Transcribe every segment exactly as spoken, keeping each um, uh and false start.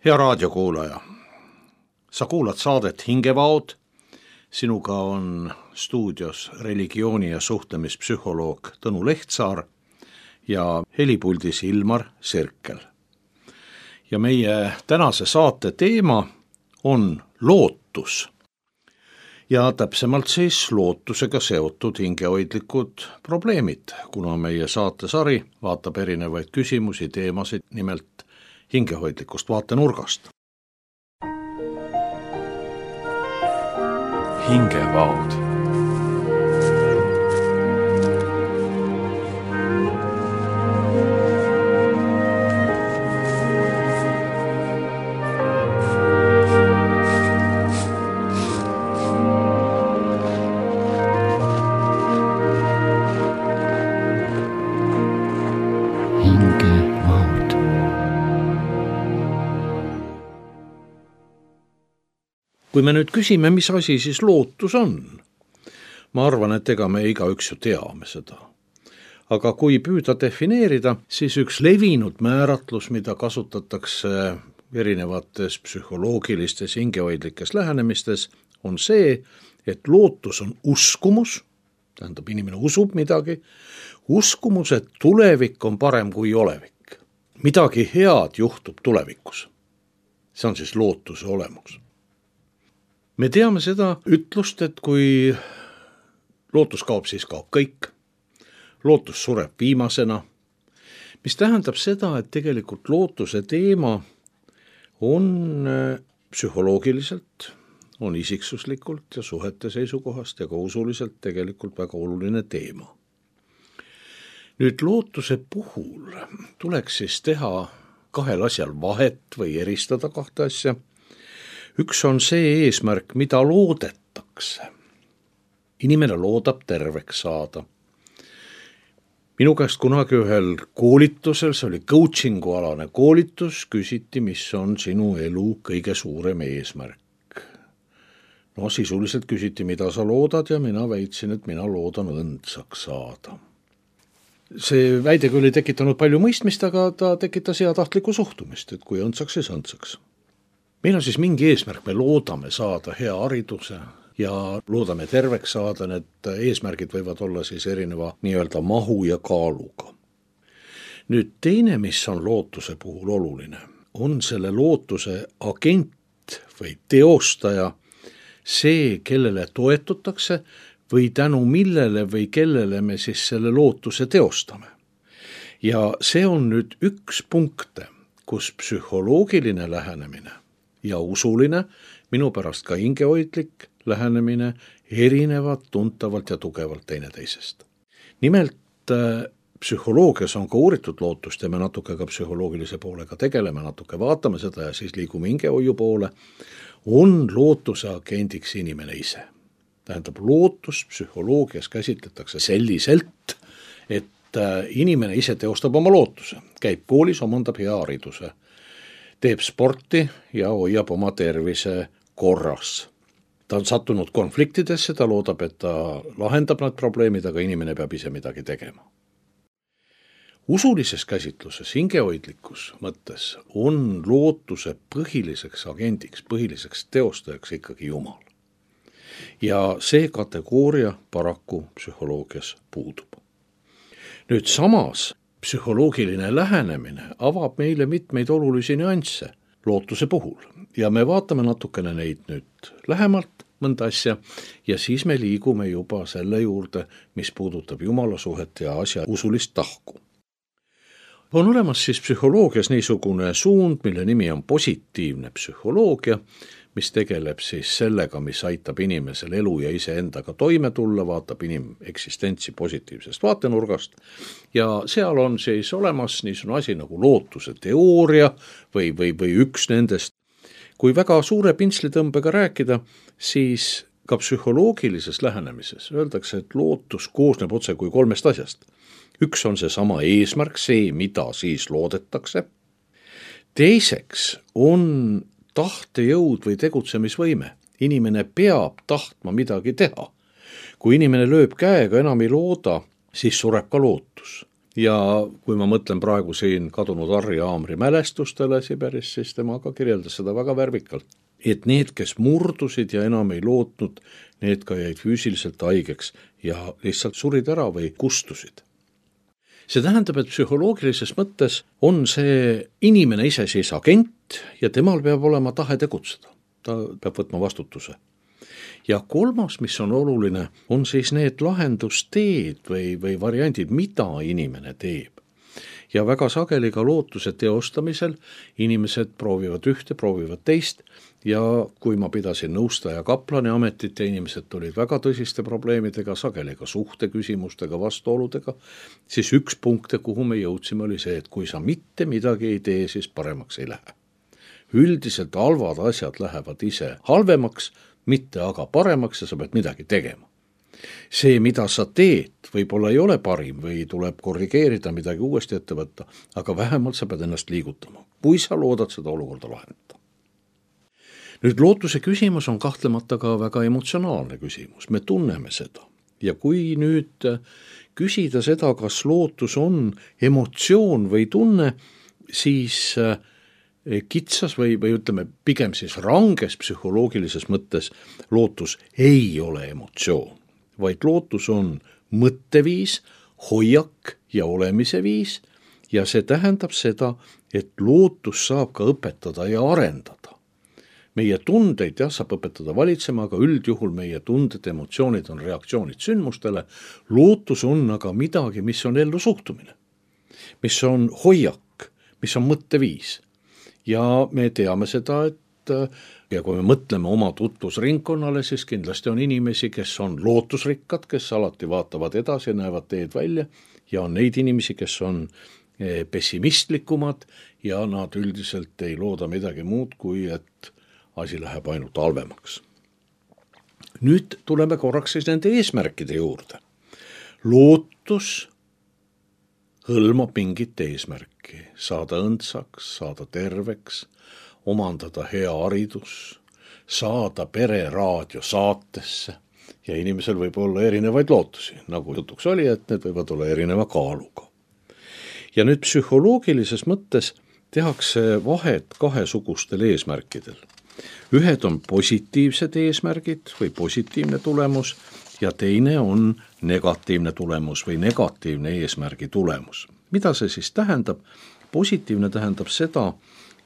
Hea raadiokuulaja, sa kuulad saadet Hingevaod, sinuga on stuudios religiooni- ja suhtlemispsühholoog Tõnu Lehtsaar ja helipuldis Ilmar Sirkel. Ja meie tänase saate teema on lootus. Ja täpsemalt siis lootusega seotud hingehoidlikud probleemid, kuna meie saatesari vaatab erinevaid küsimusi, teemasid nimelt hingehoidlikust vaatenurgast. Hingevaod. Kui me nüüd küsime, mis asi siis lootus on, ma arvan, et ega me igaüks ju teame seda. Aga kui püüda defineerida, siis üks levinud määratlus, mida kasutatakse erinevates psühholoogilistes hingehoidlikes lähenemistes, on see, et lootus on uskumus, tähendab inimene usub midagi, uskumus, et tulevik on parem kui olevik. Midagi head juhtub tulevikus. See on siis lootuse olemus. Me teame seda ütlust, et kui lootus kaob, siis kaob kõik. Lootus sureb viimasena, mis tähendab seda, et tegelikult lootuse teema on psühholoogiliselt, on isiksuslikult ja suhete seisukohast ja ka usuliselt tegelikult väga oluline teema. Nüüd lootuse puhul tuleks siis teha kahel asjal vahet või eristada kahte asja. Üks on see eesmärk, mida loodetakse. Inimene loodab terveks saada. Minu käest kunagi ühel koolitusel, see oli coachingu alane koolitus, küsiti, mis on sinu elu kõige suurem eesmärk. No sisuliselt küsiti, mida sa loodad ja mina väitsin, et mina loodan õndsaks saada. See väide küll ei tekitanud palju mõistmist, aga ta tekitas heatahtlikku suhtumist, et kui õndsaks, siis õndsaks. Meil on siis mingi eesmärk, me loodame saada hea hariduse ja loodame terveks saada, need eesmärgid võivad olla siis erineva nii-öelda mahu ja kaaluga. Nüüd teine, mis on lootuse puhul oluline, on selle lootuse agent või teostaja, see, kellele toetutakse või tänu millele või kellele me siis selle lootuse teostame. Ja see on nüüd üks punkte, kus psühholoogiline lähenemine ja usuline, minu pärast ka hingehoidlik lähenemine erinevad tuntavalt ja tugevalt teineteisest. Nimelt psühholoogias on ka uuritud lootust ja me natuke ka psühholoogilise poolega tegeleme, natuke vaatame seda ja siis liigume hingehoiu poole, on lootuse agendiks inimene ise. Tähendab, lootus psühholoogias käsitletakse selliselt, et inimene ise teostab oma lootuse, käib koolis, omandab hea hariduse, teeb sporti ja hoiab oma tervise korras. Ta on sattunud konfliktidesse, ta loodab, et ta lahendab need probleemid, aga inimene peab ise midagi tegema. Usulises käsitluses, hingehoidlikus mõttes on lootuse põhiliseks agendiks, põhiliseks teostajaks ikkagi Jumal. Ja see kategooria paraku psühholoogias puudub. Nüüd samas psühholoogiline lähenemine avab meile mitmeid olulisi nüansse lootuse puhul ja me vaatame natukene neid nüüd lähemalt mõnda asja ja siis me liigume juba selle juurde, mis puudutab Jumala suhet ja asja usulist tahku. On olemas siis psühholoogias niisugune suund, mille nimi on positiivne psühholoogia, mis tegeleb siis sellega, mis aitab inimesel elu ja iseendaga toime tulla, vaatab inimeksistentsi positiivsest vaatenurgast ja seal on siis olemas niisugune asi nagu lootuse teooria või, või, või üks nendest. Kui väga suure pintslitõmbega rääkida, siis ka psühholoogilises lähenemises öeldakse, et lootus koosneb otse kui kolmest asjast. Üks on see sama eesmärk, see, mida siis loodetakse. Teiseks on tahtejõud või tegutsemisvõime. Inimene peab tahtma midagi teha. Kui inimene lööb käega, enam ei looda, siis sureb ka lootus. ja kui ma mõtlen praegu siin kadunud Harri Aamri mälestustele Siberis, siis tema ka kirjeldas seda väga värvikalt. Et need, kes murdusid ja enam ei lootnud, need ka jäid füüsiliselt haigeks ja lihtsalt surid ära või kustusid. See tähendab, et psühholoogilises mõttes on see inimene ise siis agent ja temal peab olema tahe tegutseda. Ta peab võtma vastutuse. Ja kolmas, mis on oluline, on siis need lahendusteed või, või variandid, mida inimene teeb. Ja väga sageli ka lootuse teostamisel inimesed proovivad ühte, proovivad teist ja kui ma pidasin nõustaja kaplani ametit ja inimesed tulid väga tõsiste probleemidega, sageli ka suhteküsimustega, vastuoludega, siis üks punkte, kuhu me jõudsime, oli see, et kui sa mitte midagi ei tee, siis paremaks ei lähe. Üldiselt halvad asjad lähevad ise halvemaks, mitte aga paremaks ja sa pead midagi tegema. See, mida sa teed, võib-olla ei ole parim või tuleb korrigeerida, midagi uuesti ette võtta, aga vähemalt sa pead ennast liigutama, kui sa loodad seda olukorda lahendada. Nüüd lootuse küsimus on kahtlemata ka väga emotsionaalne küsimus, me tunneme seda. Ja kui nüüd küsida seda, kas lootus on emotsioon või tunne, siis kitsas või, või ütleme pigem siis ranges psühholoogilises mõttes lootus ei ole emotsioon, vaid lootus on mõtteviis, hoiak ja olemise viis ja see tähendab seda, et lootus saab ka õpetada ja arendada. Meie tundeid jah, saab õpetada valitsema, aga üldjuhul meie tunded, emotsioonid on reaktsioonid sündmustele. Lootus on aga midagi, mis on ellu suhtumine, mis on hoiak, mis on mõtteviis. Ja me teame seda, et ja kui me mõtleme oma tutvusringkonnale, siis kindlasti on inimesi, kes on lootusrikkad, kes alati vaatavad edasi ja näevad teed välja ja on neid inimesi, kes on pessimistlikumad ja nad üldiselt ei looda midagi muud, kui et asi läheb ainult halvemaks. Nüüd tuleme korraks siis nende eesmärkide juurde. Lootus hõlmab mingit eesmärki, saada õndsaks, saada terveks, omandada hea haridus, saada pere raadio saatesse ja inimesel võib olla erinevaid lootusi, nagu jutuks oli, et need võivad olla erineva kaaluga. Ja nüüd psühholoogilises mõttes tehakse vahet kahesugustel eesmärkidel. Ühed on positiivsed eesmärgid või positiivne tulemus ja teine on negatiivne tulemus või negatiivne eesmärgi tulemus. Mida see siis tähendab? Positiivne tähendab seda,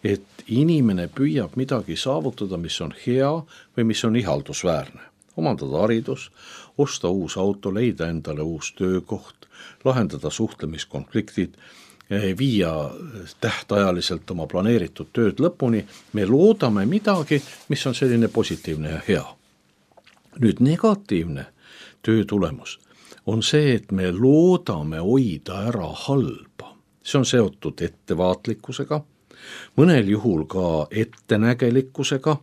et inimene püüab midagi saavutada, mis on hea või mis on ihaldusväärne. Omandada haridus, osta uus auto, leida endale uus töökoht, lahendada suhtlemiskonfliktid, viia tähtajaliselt oma planeeritud tööd lõpuni. Me loodame midagi, mis on selline positiivne ja hea. Nüüd negatiivne töö tulemus on see, et me loodame hoida ära halba. See on seotud ettevaatlikkusega, mõnel juhul ka ettenägelikkusega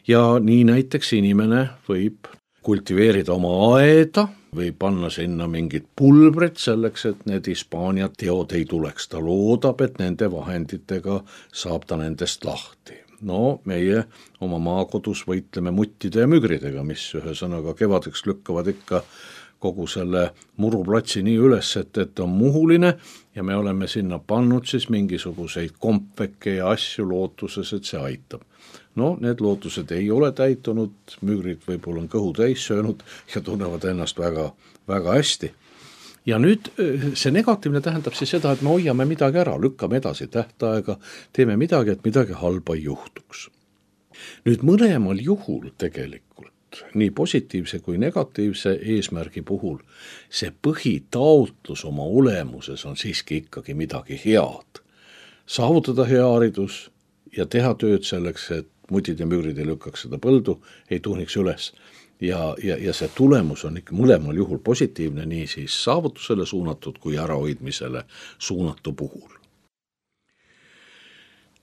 ja nii näiteks inimene võib kultiveerida oma aeda või panna sinna mingid pulbrid selleks, et need Hispaania teod ei tuleks. Ta loodab, et nende vahenditega saab ta nendest lahti. No meie oma maakodus võitleme muttide ja mügridega, mis ühesõnaga kevadeks lükkavad ikka kogu selle muruplatsi nii üles, et, et on muhuline ja me oleme sinna pannud siis mingisuguseid kompveke ja asju lootuses, et see aitab. No need lootused ei ole täitunud, mügrid võib-olla on kõhu täis söönud ja tunnevad ennast väga, väga hästi. Ja nüüd see negatiivne tähendab siis seda, et me hoiame midagi ära, lükkame edasi tähtaega, teeme midagi, et midagi halba ei juhtuks. Nüüd mõlemal juhul tegelikult, nii positiivse kui negatiivse eesmärgi puhul, see põhitaotlus oma olemuses on siiski ikkagi midagi head. Saavutada hea haridus ja teha tööd selleks, et mutid ja mügrid ei lükkaks seda põldu, ei tuhniks üles. Ja, ja, ja see tulemus on ikka mõlemal juhul positiivne, nii siis saavutusele suunatud kui ärahoidmisele suunatu puhul.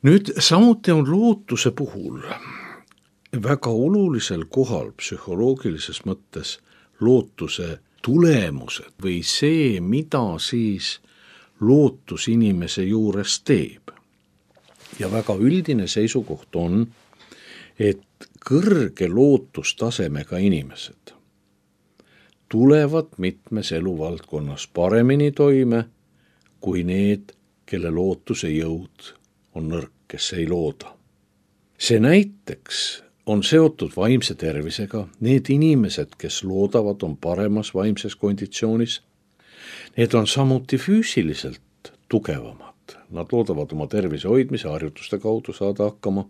Nüüd samuti on lootuse puhul väga olulisel kohal psühholoogilises mõttes lootuse tulemused või see, mida siis lootus inimese juures teeb. Ja väga üldine seisukoht on, et kõrge lootustasemega inimesed tulevad mitmes eluvaldkonnas paremini toime kui need, kelle lootuse jõud on nõrk, kes ei looda. See näiteks on seotud vaimse tervisega. Need inimesed, kes loodavad, on paremas vaimses konditsioonis. Need on samuti füüsiliselt tugevamad. Nad loodavad oma tervise hoidmise harjutuste kaudu saada hakkama.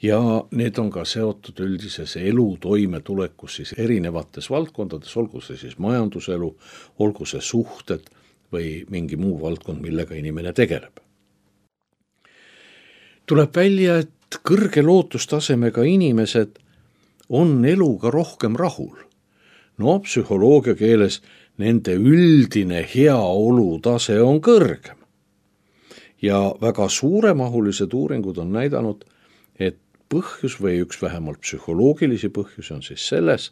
Ja need on ka seotud üldises elu toimetulekus siis erinevates valdkondades, olgu see siis majanduselu, olgu see suhted või mingi muu valdkond, millega inimene tegeleb. Tuleb välja, et kõrge lootustasemega inimesed on eluga rohkem rahul. No psühholoogia keeles nende üldine heaolutase on kõrgem. Ja väga suuremahulised uuringud on näidanud, et põhjus või üks vähemalt psühholoogilisi põhjusi on siis selles,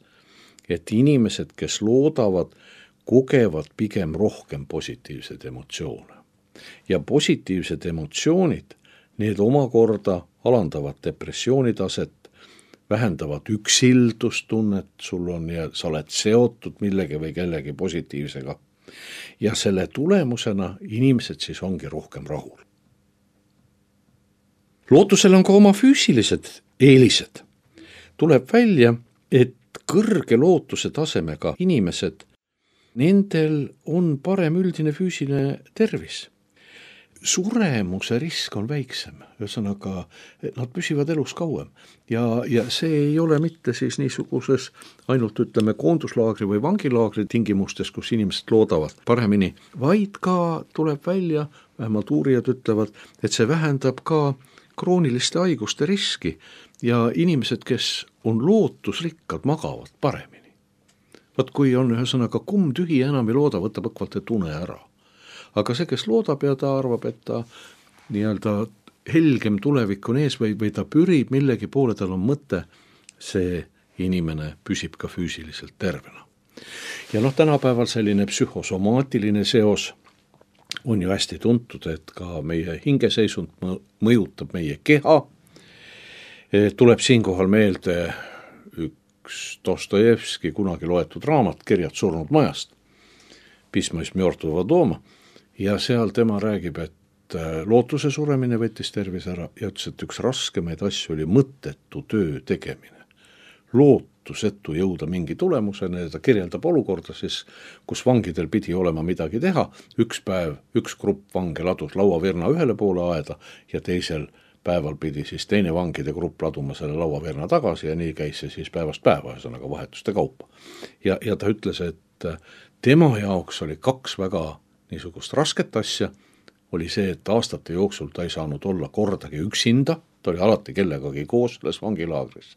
et inimesed, kes loodavad, kogevad pigem rohkem positiivseid emotsioone. Ja positiivsed emotsioonid, need omakorda alandavad depressioonitaset, vähendavad üksildustunnet, sul on ja sa oled seotud millegi või kellegi positiivsega. Ja selle tulemusena inimesed siis ongi rohkem rahul. Lootusel on ka oma füüsilised eelised. Tuleb välja, et kõrge lootuse tasemega inimesed, nendel on parem üldine füüsiline tervis. Suremuse risk on väiksem, ühesõnaga nad püsivad elus kauem ja, ja see ei ole mitte siis niisuguses ainult ütleme koonduslaagri või vangilaagri tingimustes, kus inimesed loodavad paremini, vaid ka tuleb välja, vähemalt uurijad ütlevad, et see vähendab ka krooniliste haiguste riski ja inimesed, kes on lootusrikkad, magavad paremini. Vaat kui on ühesõnaga kumm tühi enam ei looda, võtab õkvalt et une ära. Aga see, kes loodab ja ta arvab, et ta nii-öelda helgem tulevik on ees või, või ta pürib millegi poole, tal on mõte, see inimene püsib ka füüsiliselt tervena. Ja noh, tänapäeval selline psühhosomaatiline seos on ju hästi tuntud, et ka meie hingeseisund mõjutab meie keha. Tuleb siinkohal meelde üks Dostojevski kunagi loetud raamat Kirjad surnud majast, Pismo iz mjortvого doma, ja seal tema räägib, et lootuse suremine võttis tervise ära ja ütles, et üks raskemaid asju oli mõttetu töö tegemine. Lootusetu jõuda mingi tulemusena ja ta kirjeldab olukorda siis, kus vangidel pidi olema midagi teha. Üks päev, üks grupp vange ladus lauavirna ühele poole aeda ja teisel päeval pidi siis teine vangide grupp laduma selle lauavirna tagasi ja nii käis see siis päevast päeva, ühesõnaga vahetuste kaupa. Ja, ja ta ütles, et tema jaoks oli kaks väga niisugust rasket asja, oli see, et aastate jooksul ta ei saanud olla kordagi üksinda, ta oli alati kellegagi koos selles vangilaagris.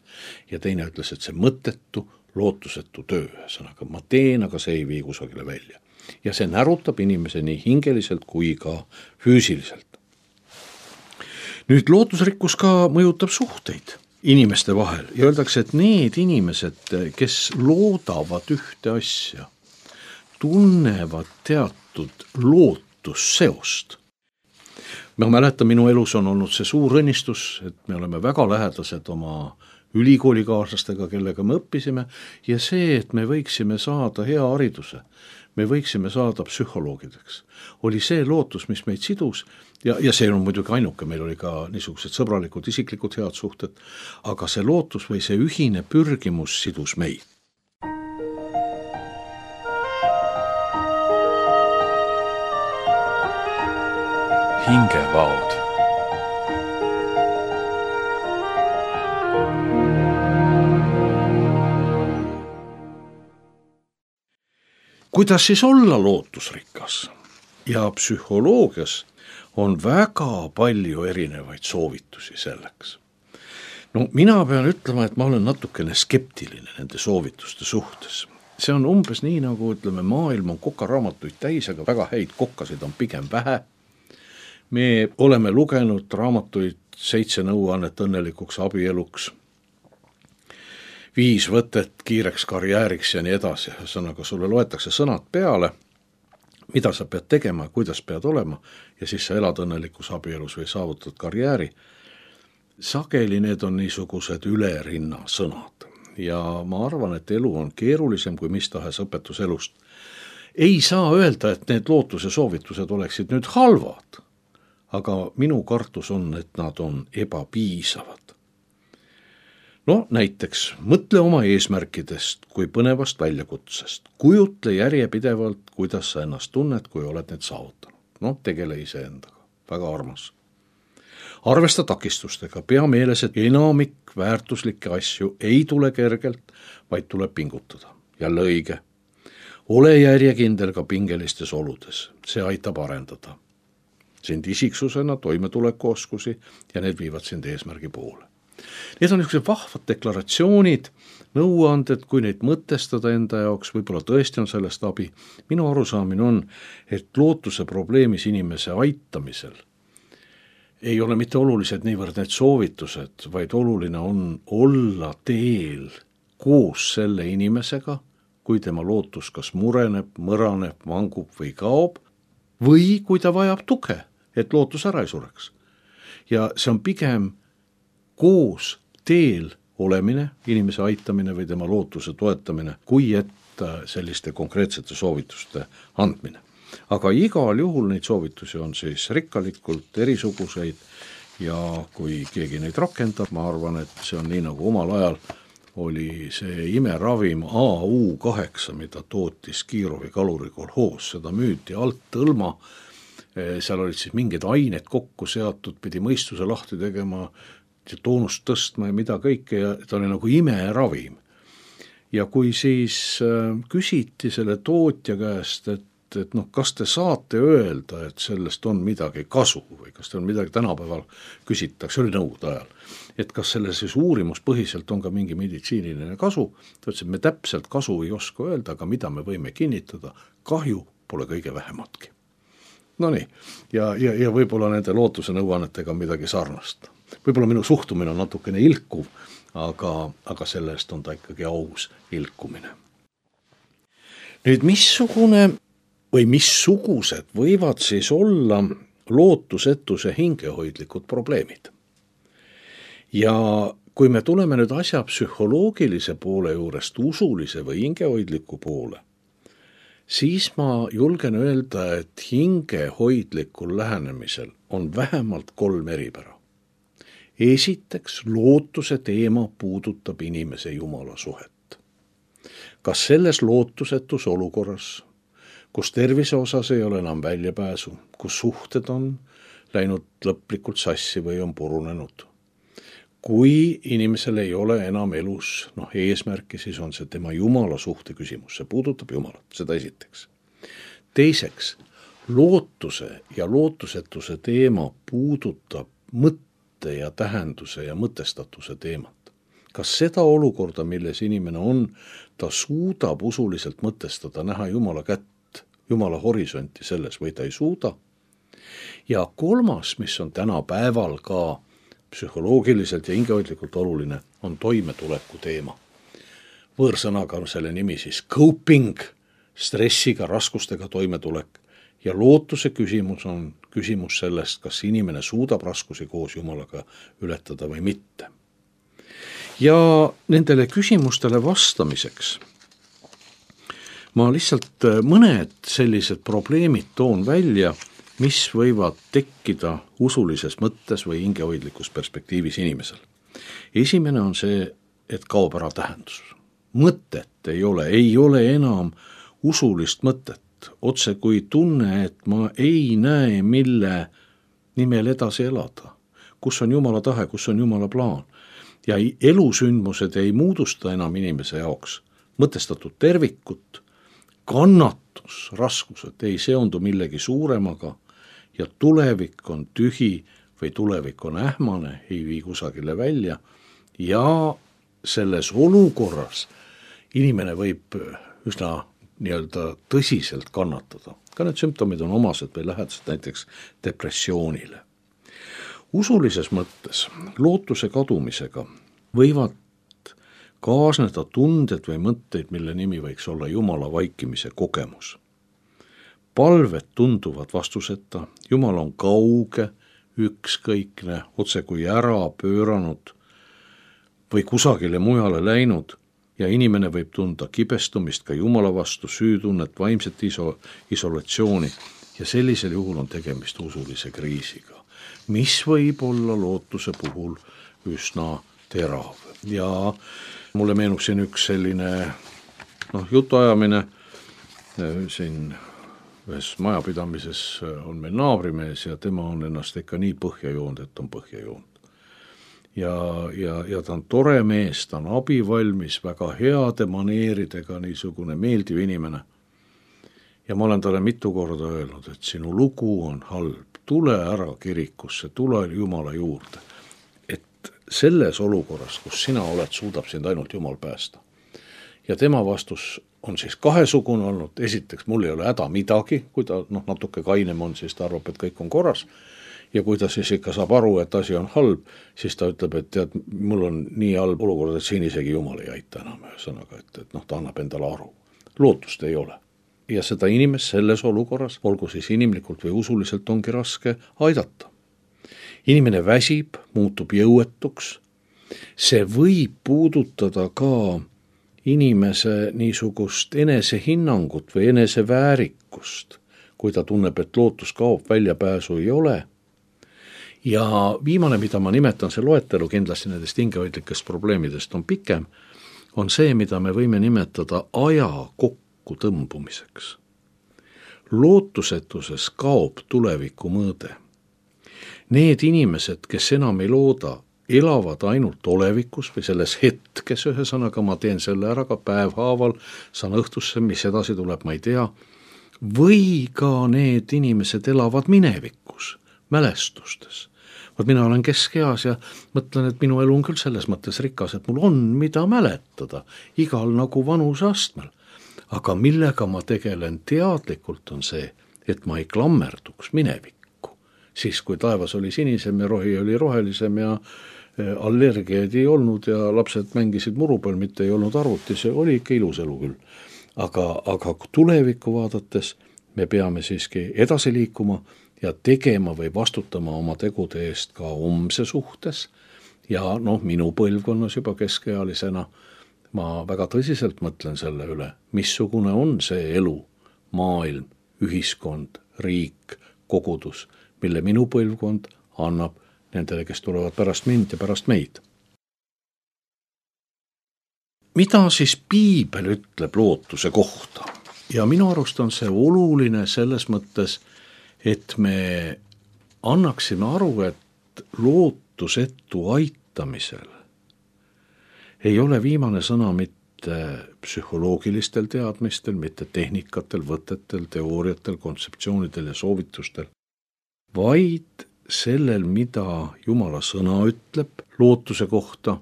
Ja teine ütles, et see mõttetu, lootusetu töö, sõnaga ma teen, aga see ei vii kusagile välja. Ja see närutab inimese nii hingeliselt kui ka füüsiliselt. Nüüd lootusrikkus ka mõjutab suhteid inimeste vahel ja öeldakse, et need inimesed, kes loodavad ühte asja, tunnevad teatud lootusseost. Ma mäletan, minu elus on olnud see suur õnnistus, et me oleme väga lähedased oma ülikoolikaaslastega, kellega me õppisime ja see, et me võiksime saada hea hariduse, me võiksime saada psühholoogideks, oli see lootus, mis meid sidus ja, ja see on muidugi ainuke, meil oli ka niisugused sõbralikud, isiklikud head suhted, aga see lootus või see ühine pürgimus sidus meid. Hingevaod. Kuidas siis olla lootusrikas? Ja psühholoogias on väga palju erinevaid soovitusi selleks. No mina pean ütlema, et ma olen natukene skeptiline nende soovituste suhtes. See on umbes nii, nagu ütleme, maailm on kokaraamatuid täis, aga väga häid kokkasid on pigem vähe. Me oleme lugenud raamatuid seitse nõuannet õnnelikuks abieluks, viis võtet kiireks karjääriks ja nii edasi. Sõnaga sulle loetakse sõnad peale, mida sa pead tegema, kuidas pead olema ja siis sa elad õnnelikus abielus või saavutad karjääri. Sageli need on niisugused ülerinna sõnad ja ma arvan, et elu on keerulisem kui mis tahes õpetuselust. ei saa öelda, et need lootuse soovitused oleksid nüüd halvad, aga minu kartus on, et nad on ebapiisavad. No näiteks mõtle oma eesmärkidest kui põnevast väljakutsest. Kujutle järjepidevalt, kuidas sa ennast tunned, kui oled need saavutanud. No tegele iseendaga. Väga armas. Arvesta takistustega. Pea meeles, et enamik väärtuslikke asju ei tule kergelt, vaid tuleb pingutada. Jälle õige. Ole järjekindel ka pingelistes oludes. See aitab arendada sind isiksusena, toimetulekuoskusi ja need viivad sind eesmärgi poole. Need on niisugused vahvad deklaratsioonid, nõuanded, kui neid mõtestada enda jaoks, võib-olla tõesti on sellest abi. Minu arusaamine on, et lootuse probleemis inimese aitamisel ei ole mitte olulised niivõrd need soovitused, vaid oluline on olla teel koos selle inimesega, kui tema lootus kas mureneb, mõraneb, vangub või kaob, või kui ta vajab tuge, et lootus ära ei sureks. Ja see on pigem koos teel olemine, inimese aitamine või tema lootuse toetamine, kui et selliste konkreetsete soovituste andmine. Aga igal juhul neid soovitusi on siis rikkalikult erisuguseid ja kui keegi neid rakendab, ma arvan, et see on nii nagu omal ajal oli see imeravim A U kaheksa, mida tootis Kiirovi kalurikolhoos, seda müüti alt tõlma, seal olid siis mingid ained kokku seatud, pidi mõistuse lahti tegema, toonust tõstma ja mida kõike ja ta oli nagu imeravim. Ja kui siis küsiti selle tootja käest, et, et noh, kas te saate öelda, et sellest on midagi kasu või kas te on midagi tänapäeval küsitakse, oli nõukogude ajal, et kas selle siis uurimuspõhiselt on ka mingi meditsiiniline kasu, ta ütles, et me täpselt kasu ei oska öelda, aga mida me võime kinnitada, kahju pole kõige vähematki. No nii, ja, ja, ja võib-olla nende lootuse nõuannetega midagi sarnast. Võib-olla minu suhtumine on natukene ilkuv, aga, aga sellest on ta ikkagi aus ilkumine. Nüüd missugune või missugused võivad siis olla lootusetuse hingehoidlikud probleemid? Ja kui me tuleme nüüd asja psühholoogilise poole juurest usulise või hingehoidliku poole, siis ma julgen öelda, et hingehoidlikul lähenemisel on vähemalt kolm eripära. Esiteks, lootuse teema puudutab inimese Jumala suhet. Kas selles lootusetus olukorras, kus tervise osas ei ole enam väljapääsu, kus suhted on läinud lõplikult sassi või on purunenud, kui inimesel ei ole enam elus noh, eesmärki, siis on see tema Jumala suhte küsimus, see puudutab Jumalat, seda esiteks. Teiseks, lootuse ja lootusetuse teema puudutab mõtte ja tähenduse ja mõtestatuse teemat. Kas seda olukorda, milles inimene on, ta suudab usuliselt mõtestada, näha Jumala kätt, Jumala horisonti selles või ta ei suuda? Ja kolmas, mis on tänapäeval ka psühholoogiliselt ja hingehoidlikult oluline, on toimetuleku teema. Võõrsõnaga on selle nimi siis coping, stressiga, raskustega toimetulek. Ja lootuse küsimus on küsimus sellest, kas inimene suudab raskusi koos Jumalaga ületada või mitte. Ja nendele küsimustele vastamiseks ma lihtsalt mõned sellised probleemid toon välja, mis võivad tekkida usulises mõttes või hingehoidlikus perspektiivis inimesel. Esimene on see, et kaob ära tähendus. Mõtet ei ole, ei ole enam usulist mõtet. Otse kui tunne, et ma ei näe, mille nimel edasi elada. Kus on Jumala tahe, kus on Jumala plaan. Ja elusündmused ei muudusta enam inimese jaoks mõtestatud tervikut, kannatus, raskused ei seondu millegi suuremaga ja tulevik on tühi või tulevik on ähmane, ei vii kusagile välja ja selles olukorras inimene võib üsna nii-öelda tõsiselt kannatada. Ka need sümptomid on omased või lähedased näiteks depressioonile. Usulises mõttes lootuse kadumisega võivad kaasneda tunded või mõtteid, mille nimi võiks olla Jumala vaikimise kogemus. Palved tunduvad vastuseta, Jumal on kauge, ükskõikne, otse kui ära pööranud või kusagile mujale läinud ja inimene võib tunda kibestumist ka Jumala vastu, süütunnet, vaimset iso, isolatsiooni ja sellisel juhul on tegemist usulise kriisiga, mis võib olla lootuse puhul üsna terav. Ja mulle meenub siin üks selline noh, jutuajamine siin ühes majapidamises on meil naabrimees ja tema on ennast ikka nii põhja joonud, et on põhja joonud. Ja, ja, ja ta on tore mees, ta on abivalmis, väga heade maneeridega, niisugune meeldiv inimene. Ja ma olen talle mitu korda öelnud, et sinu lugu on halb, tule ära kirikusse, tule Jumala juurde. Et selles olukorras, kus sina oled, suudab sind ainult Jumal päästa. Ja tema vastus on siis kahesugune olnud, esiteks mul ei ole häda midagi, kui ta noh, natuke kainem on, siis ta arvab, et kõik on korras. Ja kui ta siis ikka saab aru, et asi on halb, siis ta ütleb, et tead, mul on nii halb olukord, et siin isegi Jumal ei aita enam ühesõnaga, et, et noh, ta annab endale aru. Lootust ei ole. Ja seda inimest selles olukorras, olgu siis inimlikult või usuliselt, ongi raske aidata. Inimene väsib, muutub jõuetuks. See võib puudutada ka inimese niisugust enesehinnangut või eneseväärikust, kui ta tunneb, et lootus kaob, väljapääsu ei ole. Ja viimane, mida ma nimetan, see loetelu kindlasti nendest hingehoidlikest probleemidest on pikem, on see, mida me võime nimetada aja kokku tõmbumiseks. Lootusetuses kaob tuleviku mõõde. Need inimesed, kes enam ei looda, elavad ainult olevikus või selles hetkes, ühesõnaga ma teen selle ära ka päevhaaval, saan õhtusse, mis edasi tuleb, ma ei tea, või ka need inimesed elavad minevikus, mälestustes. Vaat mina olen keskeas ja mõtlen, et minu elu on küll selles mõttes rikas, et mul on mida mäletada, igal nagu vanuse astmel. Aga millega ma tegelen teadlikult on see, et ma ei klammerduks minevikku. Siis kui taevas oli sinisem ja rohi oli rohelisem ja allergiaid ei olnud ja lapsed mängisid muru peal, mitte ei olnud arvuti, see oli ikka ilus elu küll. Aga, aga tulevikku vaadates me peame siiski edasi liikuma ja tegema või vastutama oma tegude eest ka homse suhtes. Ja noh, minu põlvkonnas juba keskealisena ma väga tõsiselt mõtlen selle üle, missugune on see elu, maailm, ühiskond, riik, kogudus, mille minu põlvkond annab nendele, kes tulevad pärast mind ja pärast meid. Mida siis piibel ütleb lootuse kohta? Ja minu arust on see oluline selles mõttes, et me annaksime aru, et lootusetu aitamisel ei ole viimane sõna mitte psühholoogilistel teadmistel, mitte tehnikatel, võtetel, teooriatel, kontseptsioonidel ja soovitustel, vaid sellel, mida Jumala sõna ütleb lootuse kohta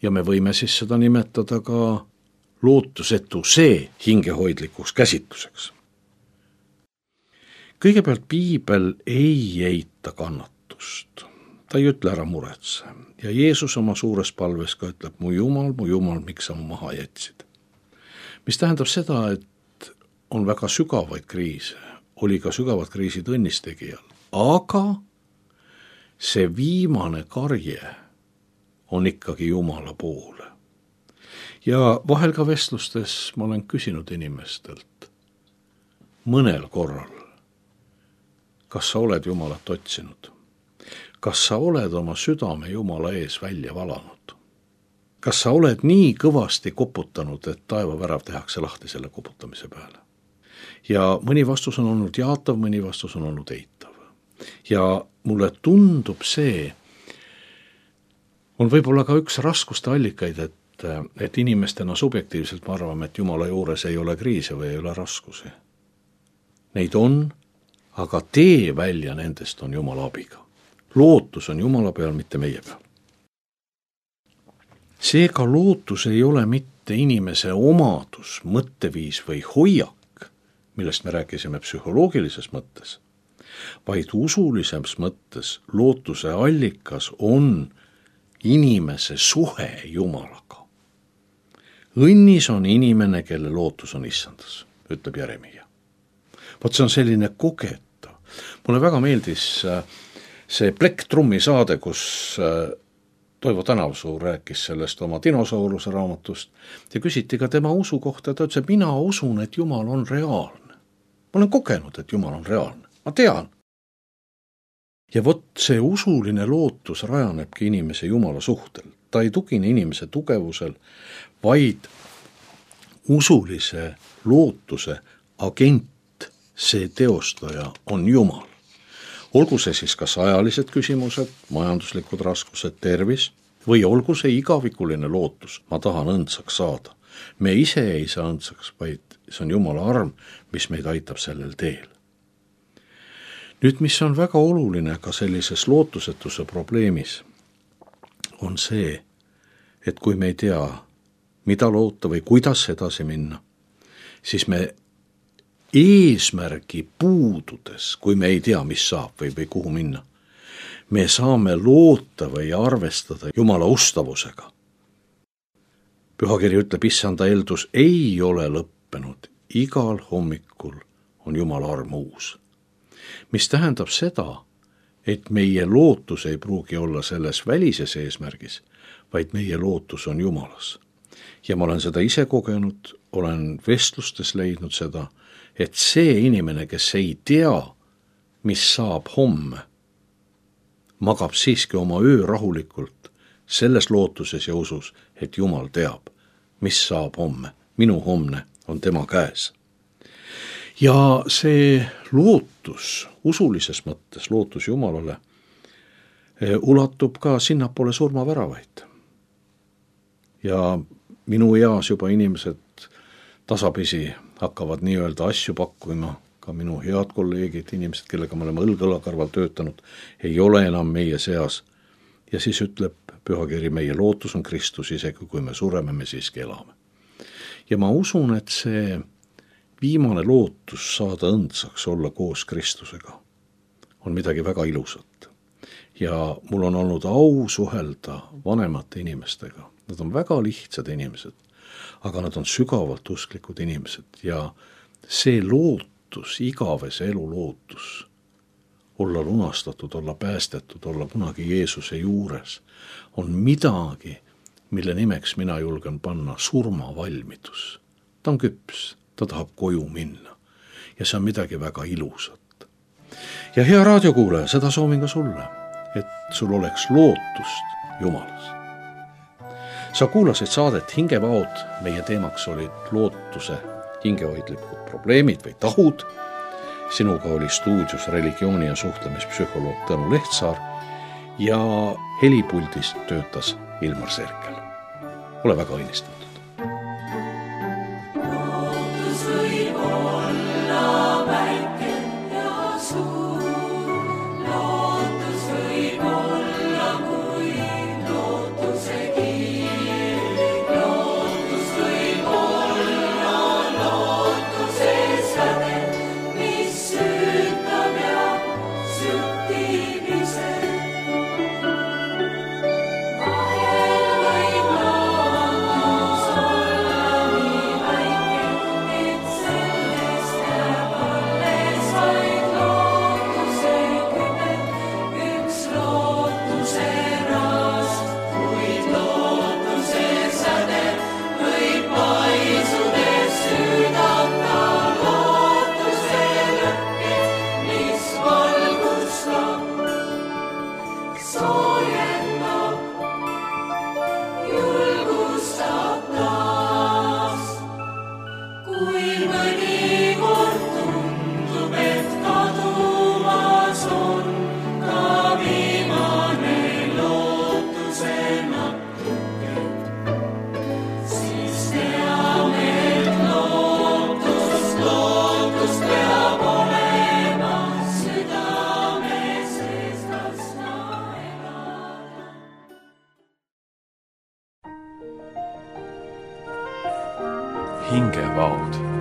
ja me võime siis seda nimetada ka lootusetuse hingehoidlikuks käsitluseks. Kõigepealt piibel ei eita kannatust. Ta ei ütle ära muretse. Ja Jeesus oma suures palves ka ütleb, mu Jumal, mu Jumal, miks sa mu maha jätsid. Mis tähendab seda, et on väga sügavaid kriise, oli ka sügavad kriisid õnnistegijal, aga see viimane karje on ikkagi Jumala poole. Ja vahel ka vestlustes ma olen küsinud inimestelt mõnel korral, kas sa oled Jumalat otsinud? Kas sa oled oma südame Jumala ees välja valanud? Kas sa oled nii kõvasti koputanud, et taevavärav tehakse lahti selle koputamise peale? Ja mõni vastus on olnud jaatav, mõni vastus on olnud eitav. Ja mulle tundub see, on võib-olla ka üks raskuste allikaid, et, et inimestena subjektiivselt me arvame, et Jumala juures ei ole kriise või ei ole raskusi. Neid on, aga tee välja nendest on Jumala abiga. Lootus on Jumala peal, mitte meie peal. Seega lootus ei ole mitte inimese omadus, mõtteviis või hoiak, millest me rääkisime psühholoogilises mõttes, vaid usulises mõttes lootuse allikas on inimese suhe Jumalaga. Õnnis on inimene, kelle lootus on issandas, ütleb Jeremia. Vot see on selline kogetav. Mulle väga meeldis see Plektrummi saade, kus Toivo Tänavsuu rääkis sellest oma dinosauruse raamatust ja küsiti ka tema usu kohta. Ta ütles, et mina usun, et Jumal on reaalne. Ma olen kogenud, et Jumal on reaalne. Ma tean. Ja vot see usuline lootus rajanebki inimese Jumala suhtel. Ta ei tugine inimese tugevusel, vaid usulise lootuse agent, see teostaja on Jumal. Olgu see siis kas ajalised küsimused, majanduslikud raskused, tervis, või olgu see igavikuline lootus, ma tahan õndsaks saada. Me ise ei saa õndsaks, vaid see on Jumala arm, mis meid aitab sellel teel. Nüüd, mis on väga oluline ka sellises lootusetuse probleemis, on see, et kui me ei tea, mida loota või kuidas edasi minna, siis me eesmärgi puududes, kui me ei tea, mis saab või, või kuhu minna, me saame loota või arvestada Jumala ustavusega. Pühakiri ütleb, issanda eeldus ei ole lõppenud, igal hommikul on Jumala arm uus. Mis tähendab seda, et meie lootus ei pruugi olla selles välises eesmärgis, vaid meie lootus on Jumalas. Ja ma olen seda ise kogenud, olen vestlustes leidnud seda, et see inimene, kes ei tea, mis saab homme, magab siiski oma öö rahulikult selles lootuses ja usus, et Jumal teab, mis saab homme. Minu homne on tema käes. Ja see lootus, usulises mõttes lootus Jumalale, ulatub ka sinnapoole surmaväravaid. Ja minu eas juba inimesed tasapisi hakkavad nii-öelda asju pakkuma, ka minu head kolleegid, inimesed, kellega me oleme õlg-õla kõrval töötanud, ei ole enam meie seas. Ja siis ütleb pühakiri, meie lootus on Kristus, isegi kui me sureme, me siiski elame. Ja ma usun, et see viimane lootus saada õndsaks olla koos Kristusega on midagi väga ilusat. Ja mul on olnud au suhelda vanemate inimestega. Nad on väga lihtsad inimesed, aga nad on sügavalt usklikud inimesed ja see lootus, igavese elu lootus, olla lunastatud, olla päästetud, olla kunagi Jeesuse juures, on midagi, mille nimeks mina julgen panna surmavalmidus. Ta on küps, ta tahab koju minna ja see on midagi väga ilusat. Ja hea raadiokuulaja, seda soovin ka sulle, et sul oleks lootust Jumalas. Sa kuulasid saadet Hingevaod, meie teemaks olid lootuse hingehoidlikud probleemid või tahud. Sinuga oli stuudios religiooni- ja suhtlemispsühholoog Tõnu Lehtsaar ja helipuldis töötas Ilmar Serkel. Ole väga õnnistatud. Hingevaod